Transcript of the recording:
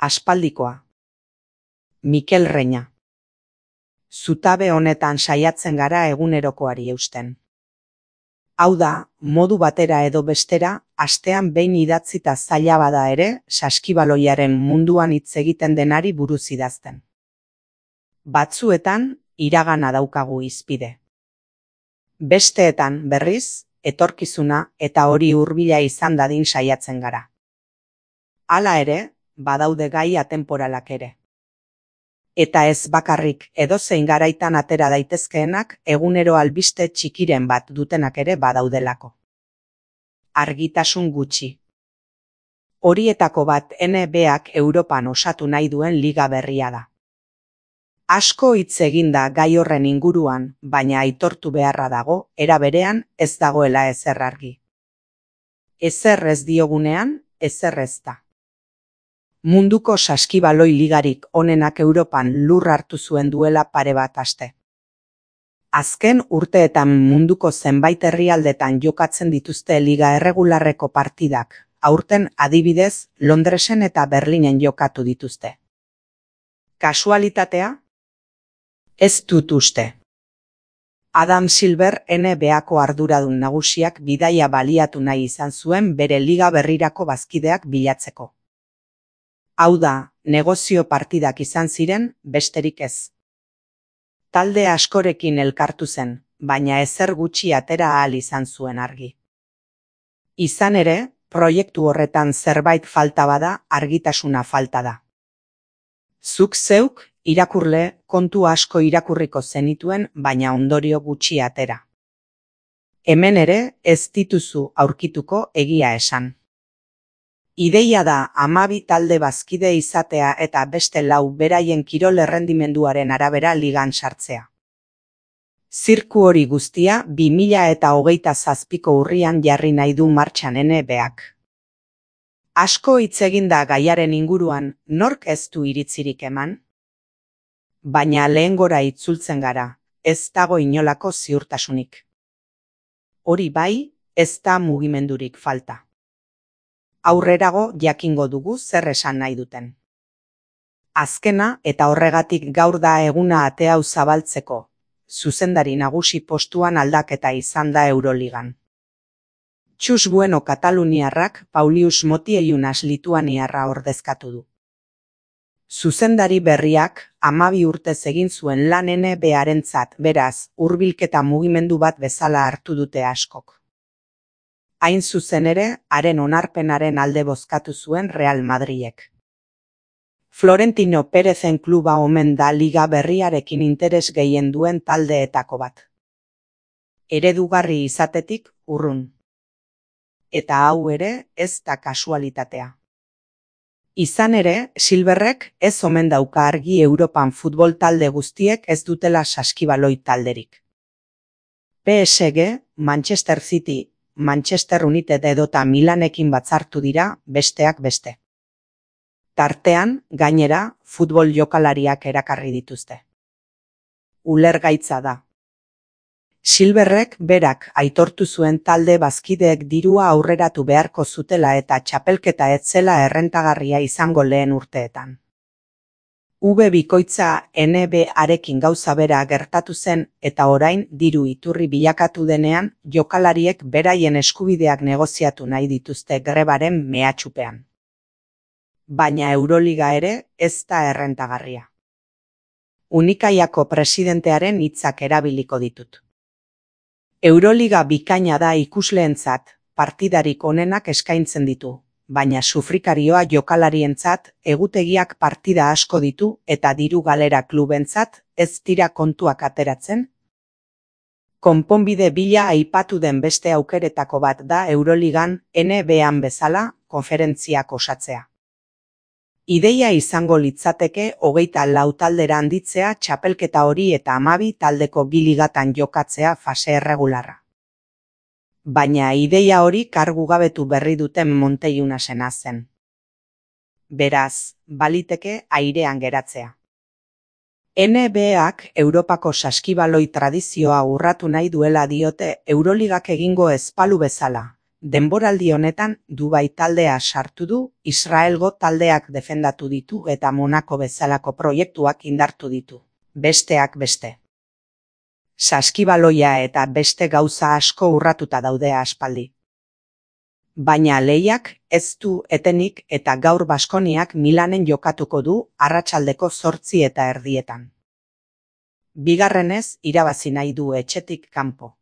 Aspaldikoa. Mikel Reña. Zutabe honetan saiatzen gara egunerokoari eusten. Hau da, modu batera edo bestera, astean behin idatzita zaila bada ere, saskibaloiaren munduan hitz egiten denari buruz idazten. Batzuetan, iragana daukagu hizpide. Besteetan, berriz, etorkizuna eta hori hurbila izan dadin saiatzen gara. Hala ere, badaude gai atemporalak ere. Eta ez bakarrik edozein garaitan atera daitezkeenak egunero albiste txikiren bat dutenak ere badaudelako. Argitasun gutxi. Horietako bat NBA-ak Europan osatu nahi duen liga berria da. Asko hitz egin da gai horren inguruan, baina aitortu beharra dago, era berean ez dagoela ezer argi. Ezer ez diogunean, ezer ez da. Munduko saskibaloi ligarik onenak Europan lur hartu zuen duela pare bat aste. Azken urteetan munduko zenbait herrialdetan jokatzen dituzte liga erregularreko partidak, aurten adibidez Londresen eta Berlinen jokatu dituzte. Kasualitatea? Ez dut uste. Adam Silver NBA-ko arduradun nagusiak bidaia baliatu nahi izan zuen bere liga berrirako bazkideak bilatzeko. Hau da, negozio partidak izan ziren, besterik ez. Talde askorekin elkartu zen, baina ezer gutxi atera ahal izan zuen argi. Izan ere, proiektu horretan zerbait falta bada, argitasuna falta da. Zuk zeuk, irakurle, kontu asko irakurriko zenituen, baina ondorio gutxi atera. Hemen ere, ez dituzu aurkituko egia esan. Ideia da 12 talde bazkide izatea eta beste 4 beraien kirol errendimenduaren arabera ligan sartzea. Zirku hori guztia 2027ko urrian jarri nahi du martxan NBA-ak. Asko hitz egin da gaiaren inguruan, nork ez du iritzirik eman? Baina lehengora itzultzen gara, ez dago inolako ziurtasunik. Hori bai, ez da mugimendurik falta. Aurrerago jakingo dugu zer esan nahi duten. Azkena eta horregatik gaur da eguna ate hau zabaltzeko, zuzendari nagusi postuan aldaketa izan da Euroligan. Txus Bueno kataluniarrak Paulius Motiejūnas lituaniarra ordezkatu du. Zuzendari berriak 12 urtez egin zuen lan NBA-arentzat, beraz, hurbilketa mugimendu bat bezala hartu dute askok. Hain zuzen ere, haren onarpenaren alde bozkatu zuen Real Madrilek. Florentino Pérezen kluba omen da liga berriarekin interes gehien duen taldeetako bat. Eredugarri izatetik urrun. Eta hau ere ez da kasualitatea. Izan ere, Silverrek ez omen dauka argi Europan futbol talde guztiek ez dutela saskibaloi talderik. PSG, Manchester City, Manchester United edota Milanekin batzartu dira, besteak beste. Tartean, gainera, futbol jokalariak erakarri dituzte. Ulergaitza da. Silverrek berak aitortu zuen talde bazkideek dirua aurreratu beharko zutela eta txapelketa ez zela errentagarria izango lehen urteetan. Bikoitza NBA-arekin gauza bera gertatu zen eta orain diru iturri bilakatu denean jokalariek beraien eskubideak negoziatu nahi dituzte grebaren mehatxupean. Baina Euroliga ere ez da errentagarria. Unikaiako presidentearen hitzak erabiliko ditut. Euroliga bikaina da ikusleentzat, partidarik onenak eskaintzen ditu. Baina sufrikarioa jokalarientzat egutegiak partida asko ditu eta diru galera klubentzat ez dira kontuak ateratzen. Konponbide bila aipatu den beste aukeretako bat da Euroligan NBA-an bezala konferentziak osatzea. Ideia izango litzateke 24 taldera handitzea txapelketa hori eta 12 taldeko bi ligatan jokatzea fase erregularra. Baina ideia hori kargu gabetu berri duten Motiejūnasena zen. Beraz, baliteke airean geratzea. NBA-ak Europako saskibaloi tradizioa urratu nahi duela diote Euroligak egingo ez balu bezala, Denboraldi honetan Dubai taldea sartu du, Israelgo taldeak defendatu ditu eta Monako bezalako proiektuak indartu ditu, besteak beste. Saskibaloia eta beste gauza asko urratuta daude aspaldi. Baina lehiak ez du etenik eta gaur Baskoniak Milanen jokatuko du arratsaldeko 8:30. Bigarrenez irabazi nahi du etxetik kanpo.